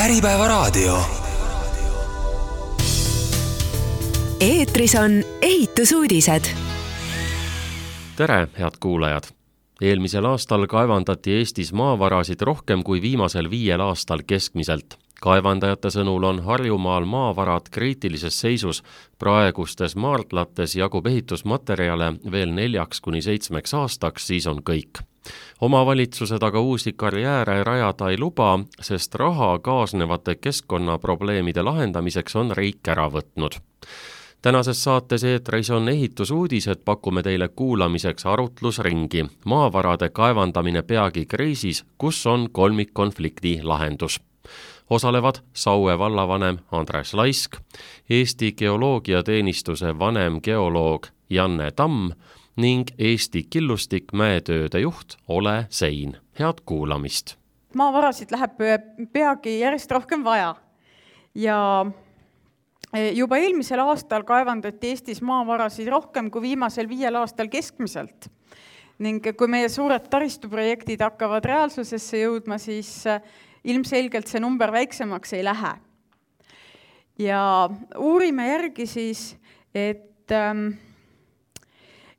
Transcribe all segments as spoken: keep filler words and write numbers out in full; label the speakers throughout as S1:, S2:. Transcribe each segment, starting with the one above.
S1: Äripäevaraadio.
S2: Eetris on ehitusuudised.
S3: Tere, head kuulajad! Eelmisel aastal kaevandati Eestis maavarasid rohkem kui viimasel viiel aastal keskmiselt. Kaevandajate sõnul on Harjumaal maavarad kriitilises seisus. Praegustes maardlates jagub ehitusmaterjale veel neljaks kuni seitsmeks aastaks, siis on kõik. Omavalitsused aga uusi karjääre rajada ei luba, sest raha kaasnevate keskkonnaprobleemide lahendamiseks on riik ära võtnud. Tänases saates eetris on ehitusuudised, pakume teile kuulamiseks arutlusringi. Maavarade kaevandamine peagi kriisis, kus on kolmikkonflikti lahendus. Osalevad Saue vallavanem Andres Laisk, Eesti Geoloogiateenistuse vanem geoloog Janne Tamm ning Eesti Killustik mäetööde juht Ole Sein. Head kuulamist!
S4: Maavarasid läheb peagi järjest rohkem vaja. Ja juba eelmisel aastal kaevandati Eestis maavarasid rohkem kui viimasel viiel aastal keskmiselt. Ning kui meie suured taristuprojektid hakkavad reaalsusesse jõudma, siis ilmselgelt see number väiksemaks ei lähe. Ja uurime järgi siis, et,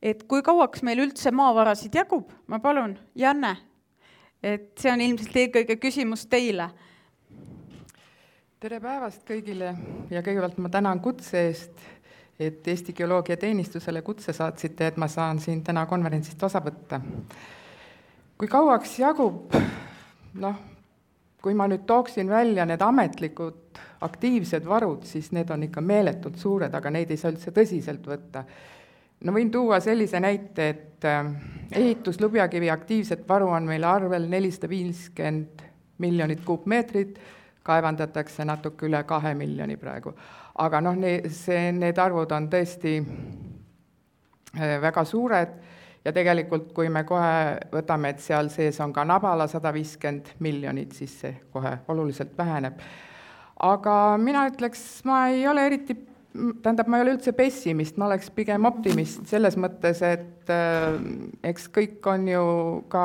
S4: et kui kauaks meil üldse maavarasid jagub, ma palun, Janne, et see on ilmselt eelkõige küsimus teile.
S5: Tere päevast kõigile ja kõigepealt ma tänan kutse eest, et Eesti Geoloogiateenistusele kutse saatsite, et ma saan siin täna konverentsist osa võtta. Kui kauaks jagub, noh, kui ma nüüd tooksin välja need ametlikud aktiivsed varud, siis need on ikka meeletult suured, aga neid ei saa üldse tõsiselt võtta. No võin tuua sellise näite, et ehituslubjakivi aktiivset varu on meil arvel nelisada viiskümmend miljonit kuupmeetrit, kaevandatakse natuke üle kahe miljoni praegu. Aga noh, see, need arvud on tõesti väga suured ja tegelikult, kui me kohe võtame, et seal sees on ka Nabala sada viiskümmend miljonit, siis see kohe oluliselt väheneb. Aga mina ütleks, ma ei ole eriti, tähendab, ma ei ole üldse pessimist, ma oleks pigem optimist selles mõttes, et äh, eks kõik on ju ka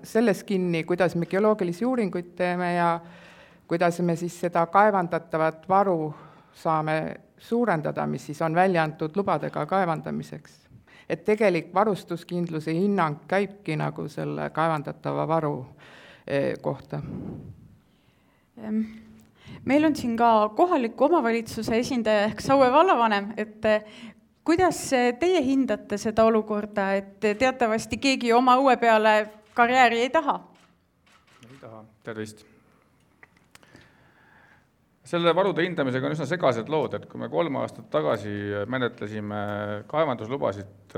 S5: selles kinni, kuidas me geoloogilisi uuringuid teeme ja kuidas me siis seda kaevandatavat varu saame suurendada, mis siis on välja antud lubadega kaevandamiseks. Et tegelik varustuskindluse hinnang käibki nagu selle kaevandatava varu kohta.
S4: Meil on siin ka kohaliku omavalitsuse esindaja ehk Saue vallavanem, et kuidas teie hindate seda olukorda, et teatavasti keegi oma õue peale karjääri ei taha?
S6: Ei taha, tervist. Selle varude hindamisega on üsna segased lood, et kui me kolm aastat tagasi menetlesime kaevanduslubasid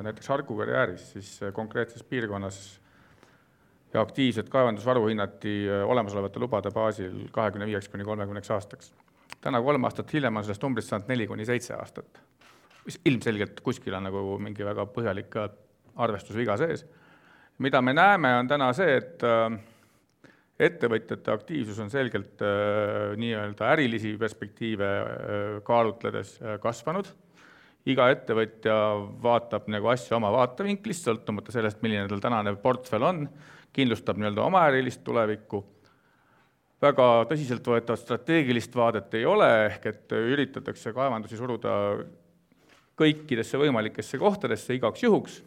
S6: näiteks Harku karjääris, siis konkreetses piirkonnas ja aktiivset kaevandusvaru hinnati olemasolevate lubade baasil kahekümne viieks kuni kolmekümneks aastaks. Täna kolm aastat hiljem on sellest numbrist saanud neli kuni seitse aastat. Ilmselgelt kuskil on nagu mingi väga põhjalik arvestusviga sees. Mida me näeme on täna see, et ettevõtjate aktiivsus on selgelt äh, nii-öelda ärilisi perspektiive äh, kaalutledes äh, kasvanud. Iga ettevõtja vaatab nagu asja oma vaatevinklist, sõltumata sellest, milline tal tänane portfell on, kindlustab nii-öelda oma ärilist tulevikku. Väga tõsiselt võetavat strateegilist vaadet ei ole, ehk et üritatakse kaevandusi suruda kõikidesse võimalikesse kohtadesse igaks juhuks.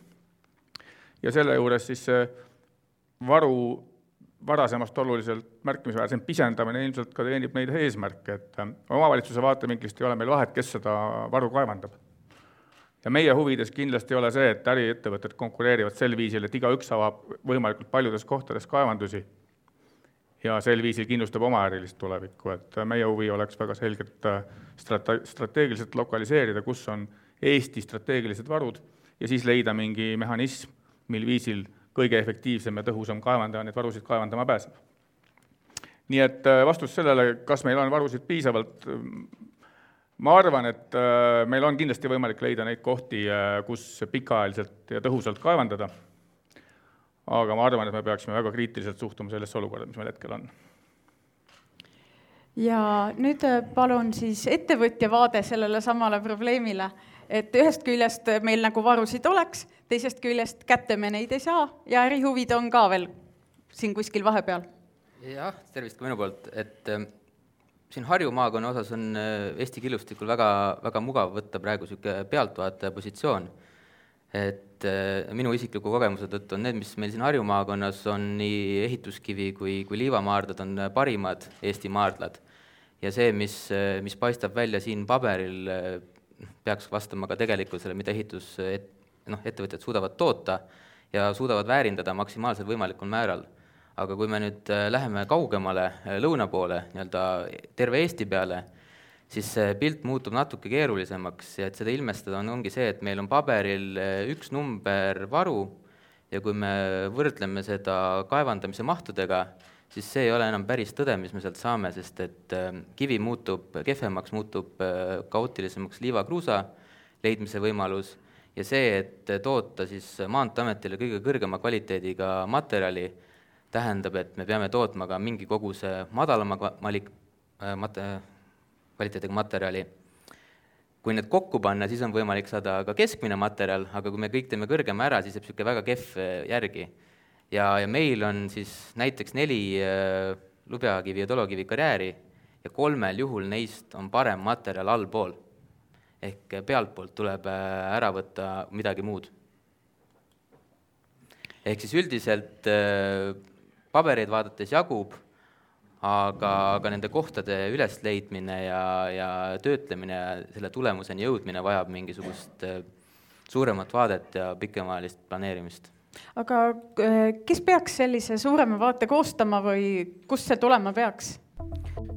S6: Ja selle juures siis see varu varasemast oluliselt märkimisväärsen pisendamine ilmselt ka teenib neid eesmärke, et omavalitsuse vaatevinklist ei ole meil vahet, kes seda varu kaevandab. Ja meie huvides kindlasti ei ole see, et äriettevõtted konkureerivad sel viisil, et igaüks avab võimalikult paljudes kohtades kaevandusi ja sel viisil kindlustab oma ärilist tulevikku, et meie huvi oleks väga selgelt strate- strateegiliselt lokaliseerida, kus on Eesti strateegilised varud ja siis leida mingi mehhanism, mil viisil kõige efektiivsem ja tõhusam kaevandaja neid varusid kaevandama pääseb. Nii et vastus sellele, kas meil on varusid piisavalt, ma arvan, et meil on kindlasti võimalik leida neid kohti, kus pikaajaliselt ja tõhusalt kaevandada, aga ma arvan, et me peaksime väga kriitiliselt suhtuma sellesse olukorda, mis meil hetkel on.
S4: Ja nüüd palun siis ettevõtja vaade sellele samale probleemile, et ühest küljest meil nagu varusid oleks, teisest küljest kätte me neid ei saa ja ärihuvid on ka veel siin kuskil vahepeal.
S1: jah, tervist ka minu poolt, et äh, siin Harju maakonna osas on äh, Eesti killustikul väga, väga mugav võtta praegu niisugune pealtvaataja positsioon. Et äh, minu isikliku kogemuse tõttu on need, mis meil siin Harju maakonnas on nii ehituskivi kui, kui liivamaardlad on parimad Eesti maardlad. Ja see, mis, mis paistab välja siin paberil, peaks vastama ka tegelikkusele, mida ehitus, et, noh, ettevõtjad suudavad toota ja suudavad väärindada maksimaalselt võimalikul määral. Aga kui me nüüd läheme kaugemale lõuna poole, nii-öelda terve Eesti peale, siis see pilt muutub natuke keerulisemaks ja et seda ilmestada on, ongi see, et meil on paberil üks number varu ja kui me võrdleme seda kaevandamise mahtudega, siis see ei ole enam päris tõde, mis me sealt saame, sest et kivi muutub kehvemaks, muutub kaootilisemaks liivakruusa leidmise võimalus ja see, et toota siis Maanteeametile kõige kõrgema kvaliteediga materjali, tähendab, et me peame tootma ka mingi koguse madalama malik, mate, kvaliteediga materjali. Kui need kokku panna, siis on võimalik saada ka keskmine materjal, aga kui me kõik teeme kõrgema ära, siis jääb niisugune väga kehv järgi. Ja, ja meil on siis näiteks neli äh, lubjakivi ja tolokivi karjääri ja kolmel juhul neist on parem materjal allpool. Ehk pealtpoolt tuleb äh, ära võtta midagi muud. Ehk siis üldiselt äh, pabereid vaadates jagub, aga, aga nende kohtade ülesleidmine ja, ja töötlemine ja selle tulemuseni jõudmine vajab mingisugust äh, suuremat vaadet ja pikemaajalist planeerimist.
S4: Aga kes peaks sellise suurema vaate koostama või kust see tulema peaks?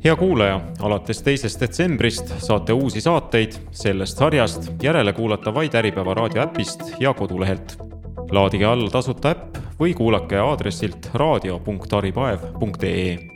S7: Hea kuulaja, alates teisest detsembrist saate uusi saateid sellest sarjast järele kuulata vaid Äripäeva raadio äpist ja kodulehelt. Laadige alla tasuta äpp või kuulake aadressilt raadio punkt aripaev punkt ee.